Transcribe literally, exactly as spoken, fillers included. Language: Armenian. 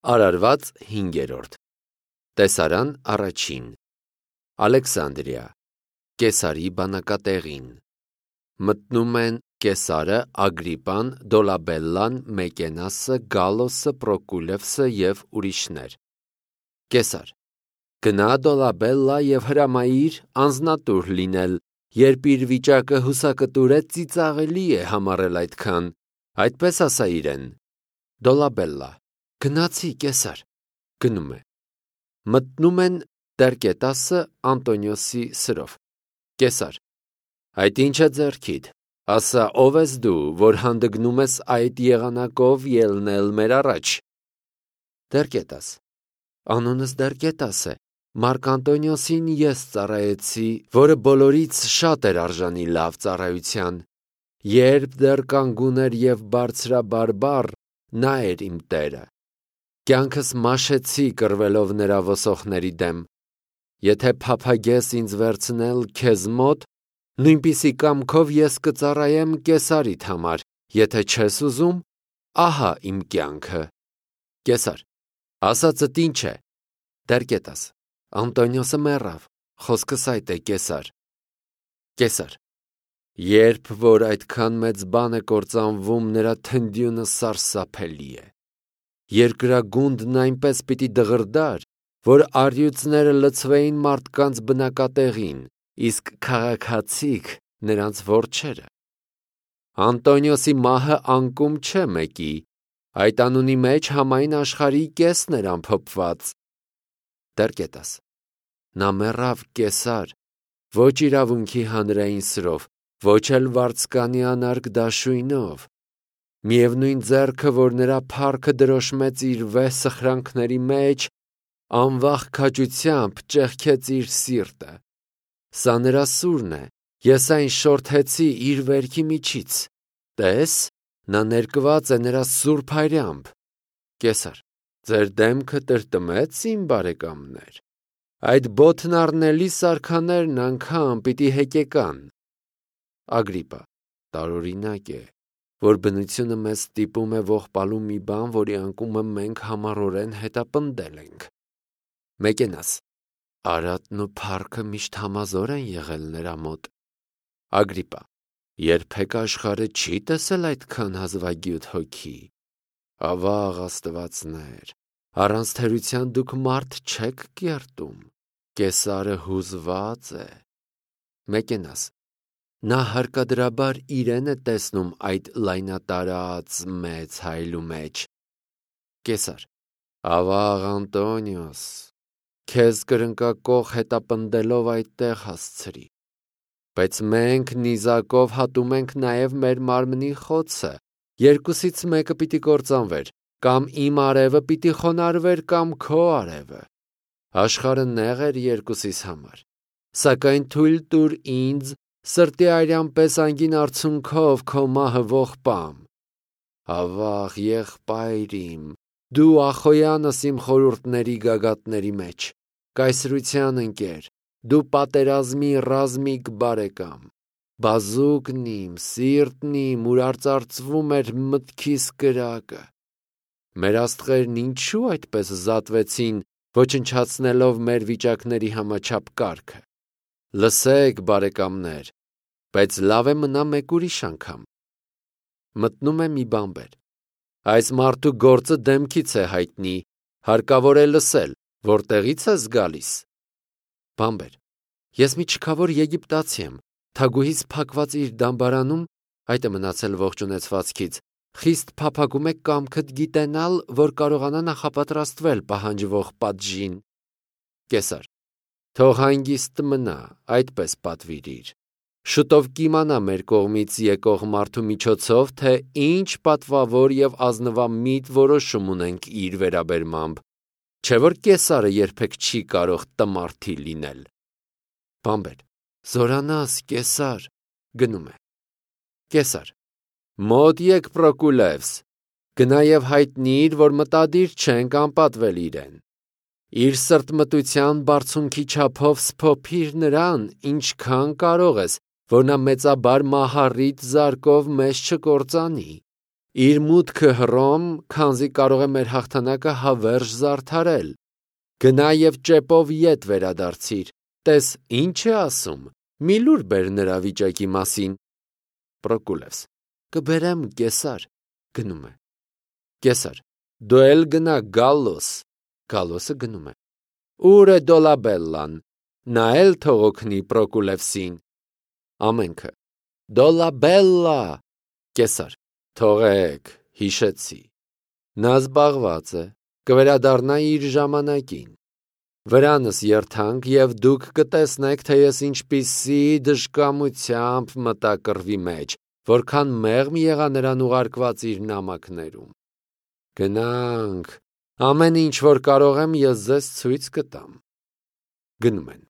Արարված հինգերորդ Տեսարան առաջին Ալեքսանդրիա Կեսարի բանակատեղին Մտնում են Կեսարը, Ագրիպան, Դոլաբելլան, Մեկենասը, Գալոսը, Պրոկուլևսը և ուրիշներ։ Կեսար. Գնա Դոլաբելլա և հրամայիր անձնատուր լինել, երբ իր վիճակը հուսակտուր է, ծիծաղելի է համարել այդքան, այդպես ասա իրեն։ Դոլաբելլա. Գնացի, Կեսար։ Գնում է։ Մտնում են Տերկետասը, Անտոնիոսի սրով։ Կեսար. Այդ ինչ է ձեռքիդ, ասա ով ես դու, որ հանդգնում ես այդ եղանակով ելնել մեր առաջ։ Տերկետաս. Անունս Տերկետաս է, Մարկ Անտոնիոսին ես ծառայեցի, որը բոլորից շատ էր արժանի լավ ծառայության։ Երբ դեռ կանգուն էր և բարձրաբարբառ, նա էր իմ տերը։ Կյանքս մաշեցի կռվելով նրա ոսոխների դեմ։ Եթե փափագես ինձ վերցնել քեզ մոտ, նույնպիսի կամքով ես կծառայեմ Կեսարիդ համար, եթե չես ուզում, ահա իմ կյանքը։ Կեսար. ասածդ ինչ է։ Տերկետաս. Անտոնիոսը մեռավ, խոսքս այդ է, Կեսար։ Կեսար. Երբ որ այդքան մեծ բան է կործանվում, նրա թնդյունը սարսափելի է։ Երկրագունդն այնպես պիտի դղրդար, որ առյուծները լցվեին մարդկանց բնակատեղին, իսկ քաղաքացիք նրանց որջերը։ Անտոնիոսի մահը անկում չէ մեկի, այդ անունի մեջ համայն աշխարհի կեսն էր ամփոփված։ Տերկետաս. Նա մեռավ, Կեսար, ոչ իրավունքի հանրային սրով, ոչ էլ վարձկանի անարգ դաշույնով։ Միևնույն ձեռքը, որ նրա փառքը դրոշմեց իր վեհ սխրանքների մեջ, անվախ քաջությամբ ճեղքեց իր սիրտը։ Սա նրա սուրն է, ես այն շորթեցի իր վերքի միջից։ Տես, նա ներկված է նրա սուրբ հայրամբ։ Կեսար. Ձեր դեմքը տրտմեց, իմ բարեկամներ։ Այդ բոթն առնելի սարքաներն անգամ պիտի հեկեկան։ Ագրիպա. տարօրինակ է, որ բնությունը մեզ ստիպում է ողբալու մի բան, որի անկումը մենք համառորեն հետապնդել ենք։ Մեկենաս. Արատն ու փառքը միշտ համազոր են եղել նրա մոտ։ Ագրիպա. երբեք աշխարհը չի տեսել այդքան հազվագյուտ հոգի։ Ավաղ աստվածներ, առանց թերության դուք մարդ չեք կերտում։ Կեսարը հուզված է։ Մեկենաս. նա հարկադրաբար իրեն է տեսնում այդ լայնատարած մեծ հայլու մեջ։ Կեսար. Ավաղ Անտոնիոս, քեզ կրնկակող հետապնդելով այդտեղ հասցրի։ Բայց մենք նիզակով հատում ենք նաև մեր մարմնի խոցը, երկուսից մեկը պիտի կործանվեր, կամ իմ արևը պիտի խոնարհվեր, կամ քո արևը։ Աշխարհը նեղ էր երկուսիս համար, սակայն թույլ տուր ինձ սրտի արյան պես անգին արցունքով քո մահը ողբամ։ Ավաղ եղբայր իմ, դու ախոյանս իմ խորհուրդների գագաթների մեջ, կայսրության ընկեր, դու պատերազմի ռազմիկ բարեկամ, բազուկն իմ, սիրտն իմ, ուր արծարծվում էր մտքիս կրակը։ Մեր աստղերն ինչու այդպես զատվեցին, ոչնչացնելով մեր վիճակների համաչափ կարգը։ Լսեք, բարեկամներ, բայց լավ է մնա մեկ ուրիշ անգամ։ Մտնում է մի բանբեր։ Այս մարդու գործը դեմքից է հայտնի, հարկավոր է լսել, որտեղից ես գալիս։ Բանբեր. Ես մի չքավոր եգիպտացի եմ, թագուհիս փակված իր դամբարանում, այդ է մնացել ողջ ունեցվածքից, խիստ փափագում է կամքդ գիտենալ, որ կարողանա նախապատրաստվել պահանջվող պատժին։ Կեսար. Թող հանգիստ մնա, այդպես պատվիրիր։ Շուտով կիմանա մեր կողմից եկող մարդու միջոցով, թե ինչ պատվավոր և ազնվամիտ որոշում ունենք իր վերաբերմամբ, չէ որ Կեսարը երբեք չի կարող տմարդի լինել։ Բանբեր. Զորանաս, Կեսար, գնում է։ Կեսար. Մոտ եկ Պրոկուլևս, գնա և հայտնիր, որ մտադիր չենք անպատվել իրեն։ Իր սրտմտության բարձունքի չափով սփոփիր նրան, ինչքան կարող ես, որ նա մեծաբար մահառիտ զարկով մեզ չկործանի։ իր մուտքը Հռոմ, քանզի կարող է մեր հաղթանակը հավերժ զարդարել։ Գնա եւ ճեպով ետ վերադարձիր, տես ինչ է ասում, մի լուր բեր նրա վիճակի մասին։ Պրոկուլես. կբերեմ Կեսար, գնում է։ Կեսար. դու էլ գնա Գալլոս, Գալլոսը գնում է։ Ուր է Դոլաբելլան, նա էլ թող օգնի Պրոկուլևսին։ Ամենքը. Դոլաբելլա, Կեսար. թողեք, հիշեցի։ Նա զբաղված է, կվերադառնա իր ժամանակին։ Վրանս երթանք եւ դուք կտեսնեք, թե ես ինչպիսի դժկամությամբ մտա կռվի մեջ, որքան մեղմ եղա նրան ուղարկված իր նամակներում։ Գնանք, ամեն ինչ որ կարող եմ ես ձեզ ցույց կտամ։ Գնում են։